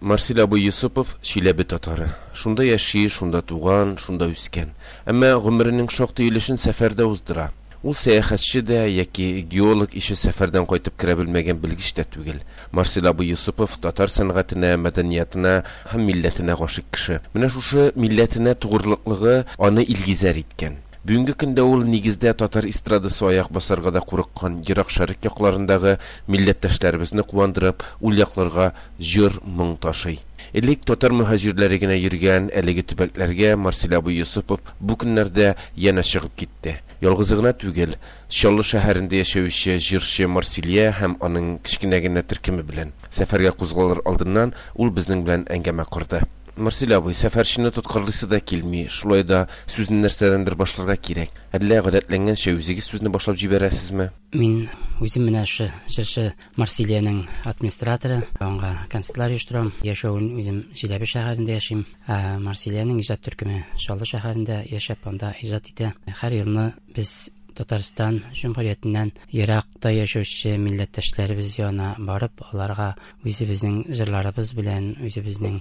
Марсель абый Йосыпов, Чиләбе татары. Шунда яши, шунда туган, шунда үскән. Әмма гомеренең шактый өлешен сәфәрдә уздыра. Ул сәяхәтче дә яки геолог ише сәфәрдән кайтып керә белмәгән белгеч тә түгел. Марсель абый Йосыпов татар сәнгатенә, мәдәниятына һәм милләтенә гашыйк кеше. Менә шушы милләтенә тугрылыклыгы аны илгизәр иткән. Бүгенге көндә ул нигездә татар эстрадасы аяк басарга да курыккан Ерак Шәрык якларындагы милләттәшләребезне куандырып, ул якларга җыр, моң ташый. Элек татар мөһаҗирләре генә йөргән әлеге төбәкләргә Марсель абый Йосыпов бу көннәрдә янә чыгып китте. Ялгызы гына түгел, Чаллы шәһәрендә яшәүче җырчы Марсилия һәм аның кечкенә генә төркеме белән. Сәфәргә кузгалыр алдыннан ул безнең белән әңгәмә корды. Марсель абый, сәфәрчене тоткарлыйсы да килми, шулай да сүзне нәрсәдәндер башларга кирәк. Әллә гадәтләнгәнчә үзегез сүзне башлап җибәрәсезме? Мин үзем менә шушы җырчы Марсилиянең администраторы, аңа концертлар оештырам. Яшәвен үзем Чиләбе шәһәрендә яшим. Ә Марсилиянең иҗат төркеме Чаллы шәһәрендә яшәп, анда иҗат итә. Һәр елны без Татарстан Җөмһүриятеннән еракта яшәүче милләттәшләребез янына барып, аларга үзебезнең җырларыбыз белән, үзебезнең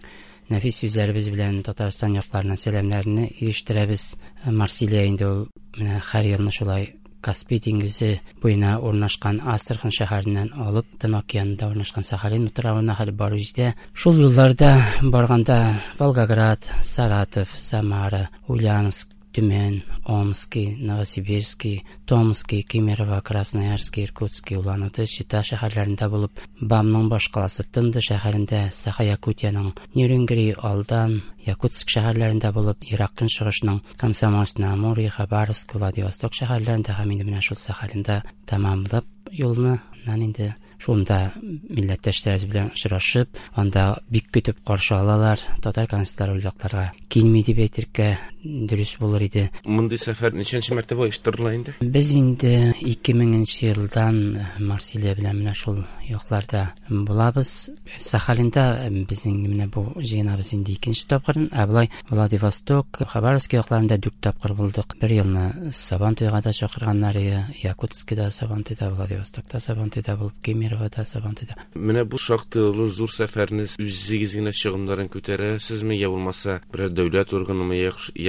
нәфис сүзләребез белән Татарстан якларына сәламнәрне ирештерәбез. Марсилия инде ул менә һәр елны шулай Каспий диңгезе буена урнашкан Астрахань шәһәреннән алып Тын океанында урнашкан Сахалин утравына хәле барып җитә. Шул юлларда барганда Волгоград, Саратов, Самара, Ульяновск, Төмән, Омски, Новосибирски, Томски, Кемерово, Красноярски, Иркутски, Улан-Удэ, Чита шәһәрләрендә булып, БАМның башкаласы Тынды шәһәрендә, Саха-Якутиянең Нерюнгри, Алдан, Якутск шәһәрләрендә булып, Ерак Көнчыгышның Комсомольск-на-Амуре, Хабаровск, Владивосток шәһәрләрендә һәм инде менә шул Сахалинда тәмамлап юлны, аннан инде шунда милләттәшләребез белән очрашып, анда бик көтеп каршы алалар. Татар концертлары ул якларга килми дип әйтергә дөрес булыр иде. Мондый сәфәр ничәнче мәртәбә оештырыла инде? Без инде 2000 елдан Марсилия белән менә шул якларда булабыз. Сахалинда безнең менә бу җыенабыз инде икенче тапкыр. Ә болай Владивосток, Хабаровск якларында дүрт тапкыр булдык. Бер елны Сабантуйга да чакырганнар иде. Якутскида Сабантуйда, Владивостокта Сабантуйда булып, Кемеровода Сабантуйда. Менә бу шактый олы зур сәфәрне үзегез генә чыгымнарын күтәрәсезме, я булмаса берәр дәүләт органымы,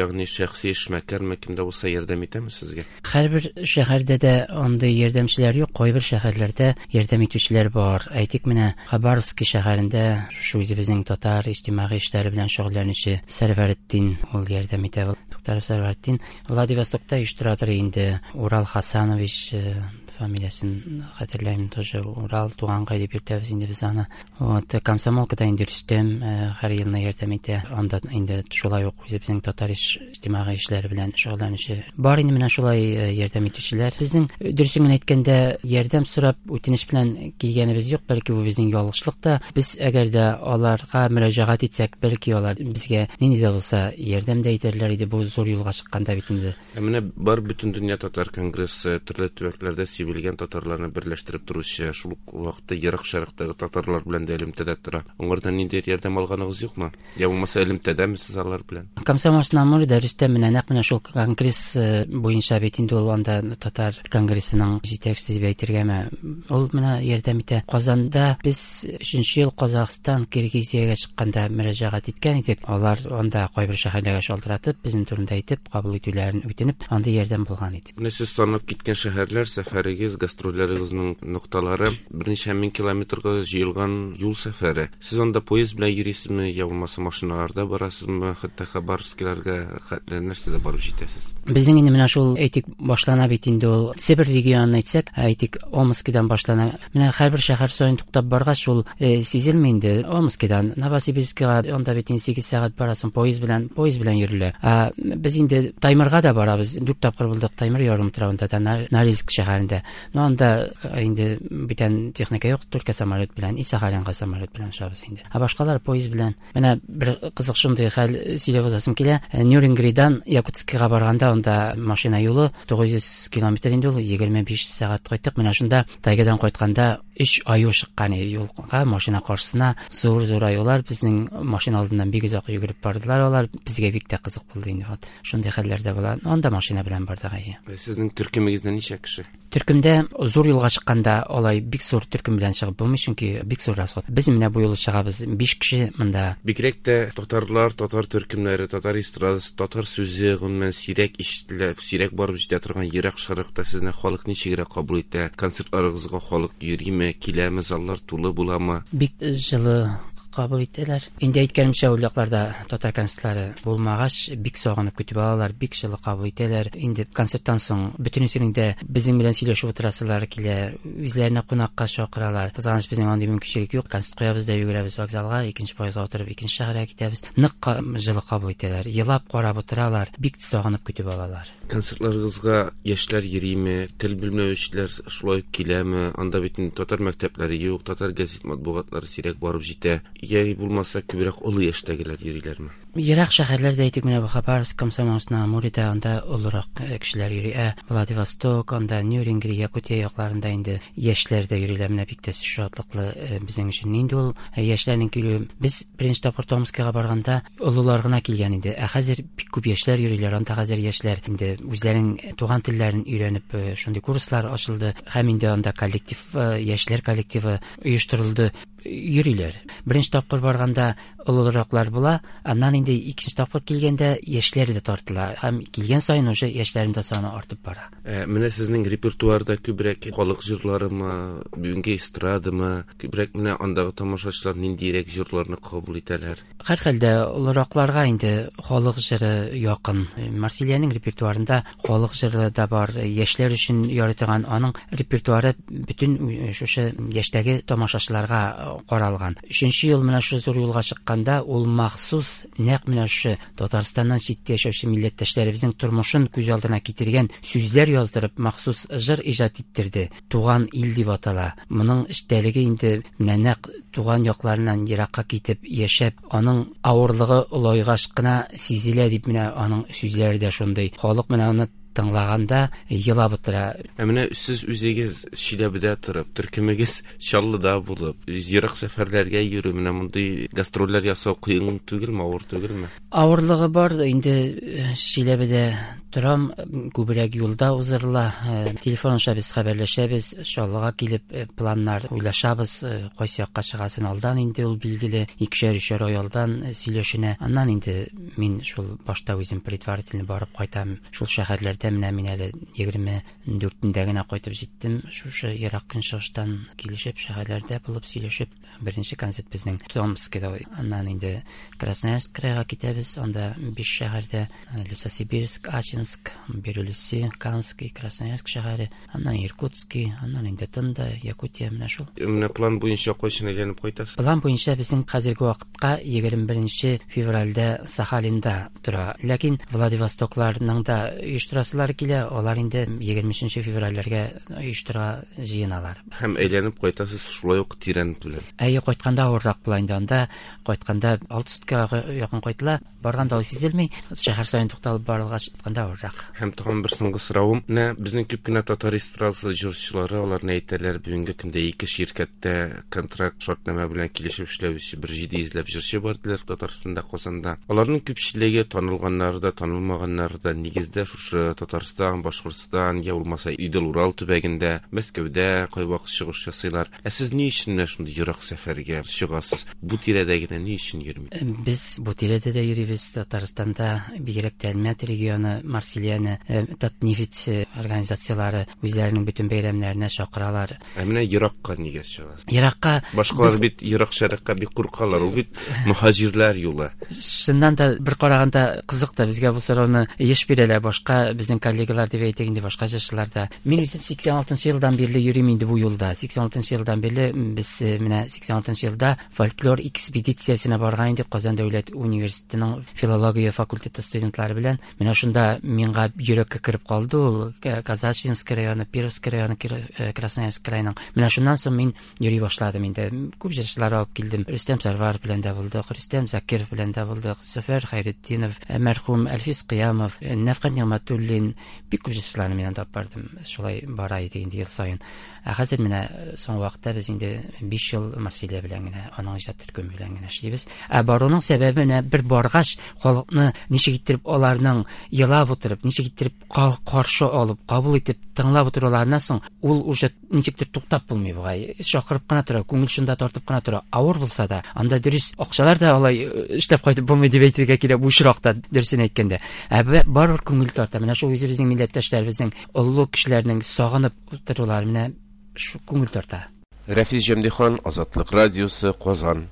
ягъни шәхси эшмәкәрме, кем дә булса ярдәм итәме сезгә? Һәрбер шәһәрдә дә андый ярдәмчеләр юк, кайбер шәһәрләрдә ярдәм итүчеләр бар. Әйтик, менә Хабаровски шәһәрендә шушы үзебезнең татар иҗтимагый эшләре белән шөгыльләнүче Сәрвәретдин ул ярдәм итә. Туктаров Сәрвәретдин Владивостокта оештырадыр инде. Урал Хасанович э, фамилиясен хәтерләмим тоже. Урал туганкай дип йөртәбез инде без аны. Вот, Комсомолкада инде Рөстәм э, һәр елны ярдәм итә. Анда инде шулай ук үзебезнең татар иҗтимагый эшләре белән шөгыльләнүче бар инде менә шулай э, ярдәм итүчеләр. Безнең э, дөресен генә әйткәндә ярдәм сорап үтенеч белән килгәнебез юк, бәлки бу безнең ялгышлык та. Без әгәр дә аларга мөрәҗәгать итсәк, бәлки алар безгә нинди дә булса ярдәм дә итәрләр иде бу зур юлга чыкканда бит инде. Ә менә бар Бөтендөнья татар конгрессы, төрле төбәкләрдә сибелгән татарларны берләштереп торучы, шул ук вакытта Ерак Шәрыктагы татарлар белән дә элемтәдә тора. Аңардан ниндидер ярдәм алганыгыз юкмы? Я булмаса элемтәдәме сез алар белән? Комсомольск на Амуре Рөстәм менә нәкъ менә шул конгресс э, буенча бит инде ул анда татар конгрессының җитәкчесе дип әйтергәме, ул менә ярдәм итә. Казанда без өченче ел Казахстан, Киргизиягә чыкканда мөрәҗәгать иткән идек. Алар анда кайбер шәһәрләргә шалтыратып, безнең турында әйтеп, кабул итүләрен үтенеп, андый ярдәм булган иде. Менә сез санап киткән шәһәрләр, сәфәрегез, гастрольләрегезнең нокталары берничә мең километрга җыелган юл сәфәре. Сез анда поезд белән йөрисезме, я булмаса машиналарда барасызмы, хәтта Хабаровскиларга хәтле нәрсәдә барып җитәсез? Безнең инде менә шул, әйтик, башлана бит инде ул Себер регионын әйтсәк, әйтик, Омскидан башлана. Менә һәрбер шәһәр саен туктап баргач, ул э, сизелми инде. Омскидан Новосибирскига анда бит инде 8 сәгать барасың поезд белән, поезд белән йөрелә. Ә без инде Таймырга да барабыз. Дүрт тапкыр булдык Таймыр ярымутравында да, Норильск шәһәрендә. Но анда э, инде бүтән техника юк, только самолет белән, и Сахалинга самолет белән очабыз инде. Ә башкалар поезд белән. Менә бер кызык шундый хәл сөйләп узасым килә. Э, Нюрингридан Якутскига барганда анда машина юлы 900 километр инде ул, 25 сәгать кайттык. Менә шунда тайгадан кайтканда Өч аю чыккан иде юлга, машина каршысына. Зур-зур аюлар безнең машина алдыннан бик озак йөгереп бардылар алар. Безгә бик тә кызык булды инде. Вот. Шундый хәлләр дә була. Анда машина белән бардык, әйе. Сезнең төркемегездә ничә кеше? Төркемдә зур юлга чыкканда алай бик зур төркем белән чыгып булмый, чөнки бик зур расход. Без менә бу юлы чыгабыз 5 кеше монда. Бигрәк тә татарлар, татар төркемнәре, татар эстрадасы, татар сүзе гомумән сирәк ишетелә, сирәк барып җитә торган ерак шәрыкта сезне халык ничегрәк кабул итә? Концертларыгызга халык йөриме, киләме, заллар тулы буламы? Бик җылы кабул итәләр. Инде әйткәнемчә, ул якларда татар концертлары булмагач, бик сагынып көтеп алалар, бик җылы кабул итәләр. Инде концерттан соң бөтенесенең дә безнең белән сөйләшеп утырасылары килә, үзләренә кунакка чакыралар. Кызганыч, безнең андый мөмкинчелек юк. Концерт куябыз да йөгерәбез вокзалга, икенче поездга утырып, икенче шәһәргә китәбез. Нык җылы кабул итәләр, елап карап утыралар, бик сагынып көтеп алалар. Концертларыгызга яшьләр йөриме, тел белмәүчеләр шулай ук киләме? Анда бит инде татар мәктәпләре юк, татар гәзит матбугатлары сирәк барып җитә. Йә булмаса, күбрәк олы яшьтәгеләр йөриләрме? Ерак шәһәрләрдә, әйтик, менә бу Хабаровск, Комсомольск, на Амурида, анда олырак кешеләр йөри. Ә Владивосток, анда Нерюнгри, Якутия якларында инде яшьләр дә йөриләр. Менә бик тә шатлыклы безнең өчен инде ул яшьләрнең килүе. Без беренче тапкыр Томскига барганда олылар гына килгән иде. Ә хәзер бик күп яшьләр йөриләр. Анда хәзер яшьләр инде үзләренең туган телләрен өйрәнеп, шундый курслар ачылды. Һәм инде анда коллектив, яшьләр коллективы оештырылды. Йөриләр. Беренче тапкыр барганда олылыраклар була, аннан инде икенче тапкыр килгәндә яшьләр дә тартыла. Һәм килгән саен уже яшьләрнең дә саны артып бара. Менә сезнең репертуарда күбрәк халык җырларымы, бүгенге эстрадамы, күбрәк менә андагы тамашачылар ниндирәк җырларны кабул итәләр? Һәрхәлдә олыракларга инде халык җыры якын. Марсилиянең репертуарында халык җыры да бар, яшьләр өчен ярый торган аның репертуары бөтен шушы яшьтәге тамашачыларга каралган. Өченче ел менә шушы зур юлга чыкканда ул махсус нәкъ менә шушы Татарстаннан читтә яшәүче милләттәшләребезнең тормышын күз алдына китергән сүзләр яздырып, махсус җыр иҗат иттерде. Туган ил дип атала. Моның эчтәлеге инде менә нәкъ туган якларыннан еракка китеп яшәп, аның авырлыгы олайгач кына сизелә дип менә аның сүзләре дә шундый. Халык менә аны тыңлаганда елап утыра. Ә менә сез үзегез Чиләбедә торып, төркемегез Чаллыда булып, ерак сәфәрләргә йөрү, менә мондый гастрольләр ясау кыен түгелме, авыр түгелме? Авырлыгы бар, инде Чиләбедә торам, күбрәк юлда узырыла. Телефон аша без хәбәрләшәбез, Чаллыга килеп планнар уйлашабыз, кайсы якка чыгасын алдан инде ул билгеле, икешәр-өчәр ай алдан сөйләшенә. Аннан инде мин шул башта үзем предварительно барып кайтам. Шул шәһәрләрдә менә мин әле 24-ндә генә кайтып җиттем. Шушы ерак көнчыгыштан килешеп, шәһәрләрдә булып сөйләшеп, беренче концерт безнең Томскида. Аннан инде Красноярск крайга китәбез. Анда 5 шәһәрдә: Лесосибирск, Ачинск, Бирюлиси, Канск и Красноярск шәһәре. Аннан Иркутский, аннан инде Тында, Якутия, менә шул. Менә план буенча кайчан әйләнеп кайтасыз? План буенча безнең хәзерге вакытка 21 февральдә Сахалинда тора. Ләкин Владивостокларның да оештырасылары килә, алар инде 23 февральләргә оештырырга җыеналар. Һәм әйләнеп кайтасыз шулай ук тирән белән. Әйе, кайтканда авыррак була инде анда. Кайтканда 6 суткага якын кайтыла. Барганда ул сизелми, шәһәр саен тукталып барылгач, кайтканда авыррак. Һәм тагын бер соңгы соравым. Менә безнең күп кенә татар эстрадасы җырчылары, алар ни әйтәләр, бүгенге көндә ике ширкәттә контракт, шартнамә белән килешеп эшләүче бер 700 ләп җырчы бар диләр Татарстанда, Казанда. Аларның күпчелеге танылганнары да, танылмаганнары да нигездә шушы Татарстан, Башкортстан, я булмаса Идел-Урал төбәгендә, Мәскәүдә кайвакыт чыгыш ясыйлар. Ә сез ни өчен менә шундый ерак сәфәргә чыгасыз? Бу тирәдә генә ни өчен йөрми? Без бу тирәдә дә йөрибез, Татарстанда, бигрәк тә Әлмәт регионы, Марсилияне, Татнефть организацияләре үзләренең бөтен бәйрәмнәренә чакыралар. Ә менә еракка нигә чыгасыз? Еракка Башкалар бит ерак шәрыкка бик куркалар. Ул бит мөһаҗирләр юлы. Чыннан да бер караганда кызык та, безгә бу сорауны еш бирәләр башка безнең коллегалар дип әйтик инде, башка җырчылар да. Мин үзем 86 елдан бирле йөрим инде бу юлда. 86 елдан бирле без менә 86 елда фольклор экспедициясенә барган идек Казан дәүләт университетының филология факультеты студентлары белән. Менә шунда миңа йөрәккә кереп калды ул Казачинский районы, Перовский районы, Красноярск краеның. Менә шуннан соң мин йөри башладым инде. Күп җырчылар алып килдем. Рөстәм Сәрваров белән дә булдык, Рөстәм Закиров белән дә булдык, Зөфәр Хәйретдинов, мәрхүм Әлфис Кыямов, Нәфкать Нигъмәтуллин, бик күп җырчыларны мин анда алып бардым. Шулай бара иде инде ел саен. Ә хәзер менә соңгы вакытта без инде 5 ел Марсилия белән генә, аның иҗат төркеме белән генә эшлибез. Ә баруның сәбәбе менә бер баргач, халыкны ничек иттереп аларның елап утырып, ничек иттереп каршы алып, кабул итеп, тыңлап утыруларыннан соң, ул уже ничектер туктап булмый бугай. Чакырып кына тора, күңел шунда тартып кына тора. Авыр булса да, анда дөрес акчалар да алай эшләп кайтып булмый дип әйтергә кирәк бу очракта, дөресен әйткәндә. Ә барыбер күңел тарта. Менә шул үзебезнең милләттәшләребезнең, олы кешеләрнең сагынып утырулары менә шу күңел тарта. Рәфис Җәмдихан, Азатлык радиосы, Казан.